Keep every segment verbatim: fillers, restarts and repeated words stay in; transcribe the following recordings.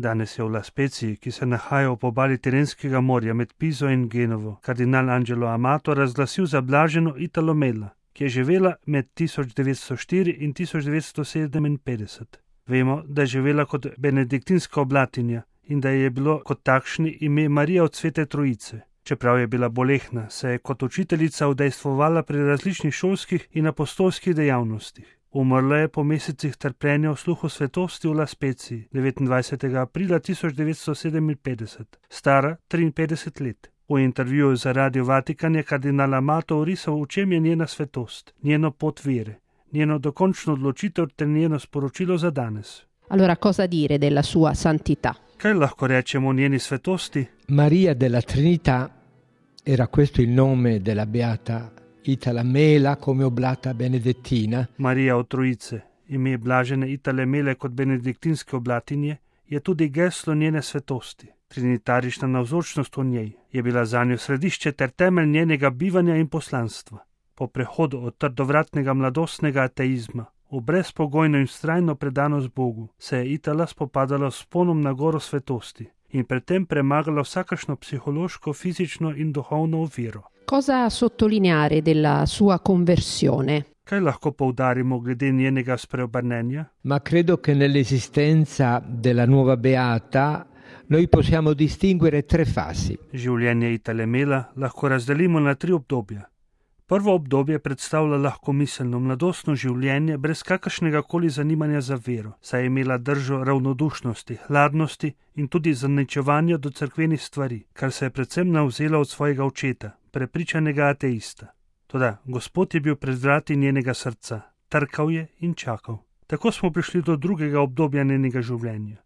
Danes je v La Spezii, ki se nahaja ob obali Tirenskega morja med Piso in Genovo, kardinal Angelo Amato razglasil za blaženo Italo Mela, ki je živela med tisoč devetsto štiri in tisoč devetsto sedeminpetdeset. Vemo, da je živela kot benediktinska oblatinja in da je bilo kot takšni ime Marija od Svete Trojice. Čeprav je bila bolehna, se je kot učiteljica udejstvovala pri različnih šolskih in apostolskih dejavnostih. Umrla je po mesecih trpljenja v sluhu svetosti v La Spezii devetindvajsetega aprila tisoč devetsto sedeminpetdeset, stara triinpetdeset let. V intervjuju za Radio Vatikan je kardinal Amato orisal, v čem je njena svetost, njeno pot vere, njeno dokončno odločitev ter njeno sporočilo za danes. Allora, cosa dire della sua santità? Kaj lahko rečemo o njeni svetosti? Maria della Trinità, era questo il nome della beata Itala Mela come oblata benedettina. Marija od Trojice, ime blažene Itale Mele kot benediktinske oblatinje, je tudi geslo njene svetosti. Trinitarična navzočnost v njej je bila zanjo središče ter temelj njenega bivanja in poslanstva. Po prehodu od trdovratnega mladostnega ateizma v brezpogojno in vztrajno predanost Bogu se je Itala spopadala s ponom na goro svetosti in predtem premagala vsakašno psihološko, fizično in duhovno oviro. Cosa sottolineare della sua conversione? Kaj lahko poudarimo glede njenega spreobrnenja? Ma credo che nell'esistenza della nuova beata noi possiamo distinguere tre fasi. Življenje Itale Mela lahko razdelimo na tri obdobja. Prvo obdobje predstavlja lahkomiselno mladostno življenje brez kakršnega koli zanimanja za vero, saj je imela držo ravnodušnosti, hladnosti in tudi zaničevanja do cerkvenih stvari, kar se je predvsem navzela od svojega očeta, prepričanega ateista. Toda Gospod je bil pred vrati njenega srca, trkal je in čakal. Tako smo prišli do drugega obdobja njenega življenja.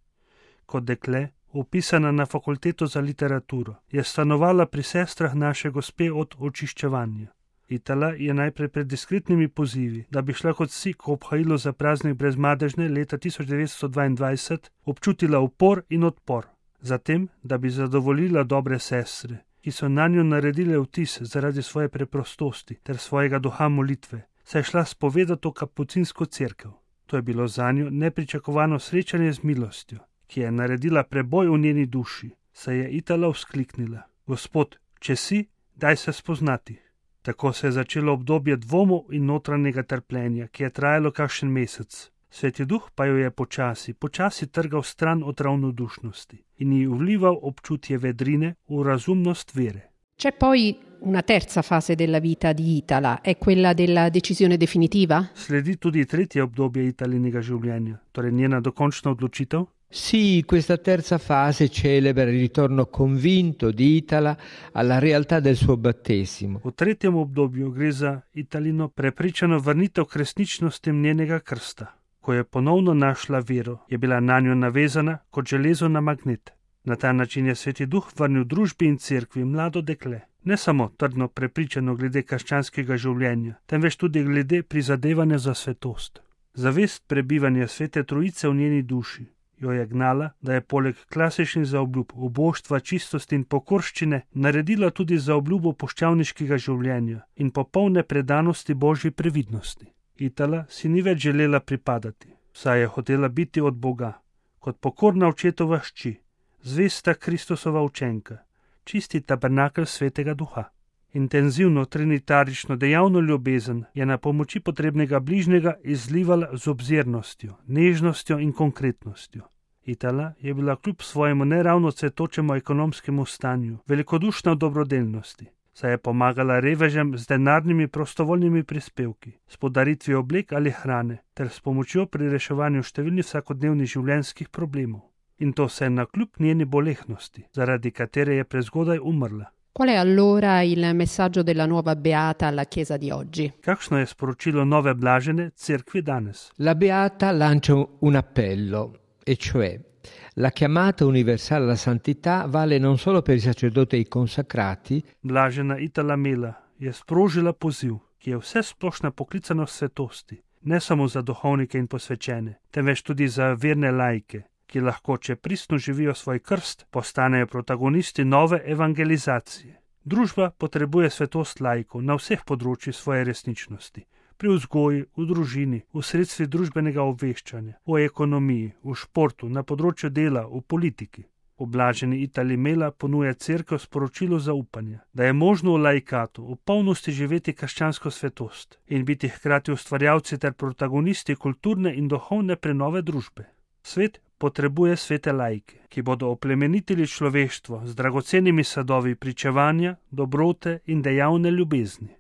Kot dekle, upisana na fakulteto za literaturo, je stanovala pri sestrah naše Gospe od očiščevanja. Itala je najprej pred diskretnimi pozivi, da bi šla kot vsi k obhajilu za praznik brezmadežne leta tisoč devetsto dvaindvajset, občutila upor in odpor. Zatem, da bi zadovoljila dobre sestre, ki so nanjo naredile vtis zaradi svoje preprostosti ter svojega duha molitve, se je šla spovedati v kapucinsko cerkev. To je bilo zanjo nepričakovano srečanje z milostjo, ki je naredila preboj v njeni duši, saj je Itala vzkliknila: Gospod, če si, daj se spoznati. Tako se je začelo obdobje dvomov in notranjega trpljenja, ki je trajalo kakšen mesec. Sveti duh pa jo je počasi, počasi trgal stran od ravnodušnosti in ji vlival občutje vedrine v razumnost vere. C'è poi una terza fase della vita di Itala, è quella della decisione definitiva? Sledi tudi tretje obdobje Italinega življenja, torej njena dokončna odločitev. Sì, questa terza fase celebra il ritorno convinto di Itala alla realtà del suo battesimo. V tretjem obdobju gre za Italino prepričano vrnitev k resničnostim njenega krsta. Ko je ponovno našla vero, je bila nanjo navezana kot železo na magnet. Na ta način je Sveti duh vrnil družbi in cerkvi mlado dekle, ne samo trdno prepričano glede krščanskega življenja, temveč tudi glede prizadevanja za svetost. Zavest prebivanja Svete Trojice v njeni duši jo je gnala, da je poleg klasičnih zaobljub uboštva, čistosti in pokorščine naredila tudi zaobljubo poščavniškega življenja in popolne predanosti Božji previdnosti. Itala si ni več želela pripadati, saj je hotela biti od Boga, kot pokorna očetova hči, zvesta Kristusova učenka, čisti tabernakelj Svetega Duha. Intenzivno trinitarično dejavno ljubezen je na pomoči potrebnega bližnjega izlivala z obzirnostjo, nežnostjo in konkretnostjo. Itala je bila kljub svojemu neravno cvetočemu ekonomskemu stanju velikodušna v dobrodelnosti, saj je pomagala revežem z denarnimi prostovoljnimi prispevki, s podaritvijo oblek ali hrane ter s pomočjo pri reševanju številnih vsakodnevnih življenjskih problemov. In to vse nakljub njeni bolehnosti, zaradi katere je prezgodaj umrla. Qual è allora il messaggio della nuova beata alla Chiesa di oggi? Kakšno je sporočilo nove blažene cerkvi danes? La beata lancia un appello, e cioè la chiamata universale alla santità vale non solo per i sacerdoti e i consacrati. Blažena Itala Mela je sprožila poziv, ki je vse splošna poklicanost svetosti, ne samo za duhovnike in posvečene, temveč tudi za verne laike, ki lahko, če pristno živijo svoj krst, postanejo protagonisti nove evangelizacije. Družba potrebuje svetost laikov na vseh področjih svoje resničnosti, pri vzgoji, v družini, v sredstvih družbenega obveščanja, v ekonomiji, v športu, na področju dela, v politiki. Oblaženi Itali Mela ponuja cerkev sporočilo zaupanja, da je možno v laikatu v polnosti živeti krščansko svetost in biti hkrati ustvarjalci ter protagonisti kulturne in duhovne prenove družbe. Svet potrebuje svete laike, ki bodo oplemenitili človeštvo z dragocenimi sadovi pričevanja, dobrote in dejavne ljubezni.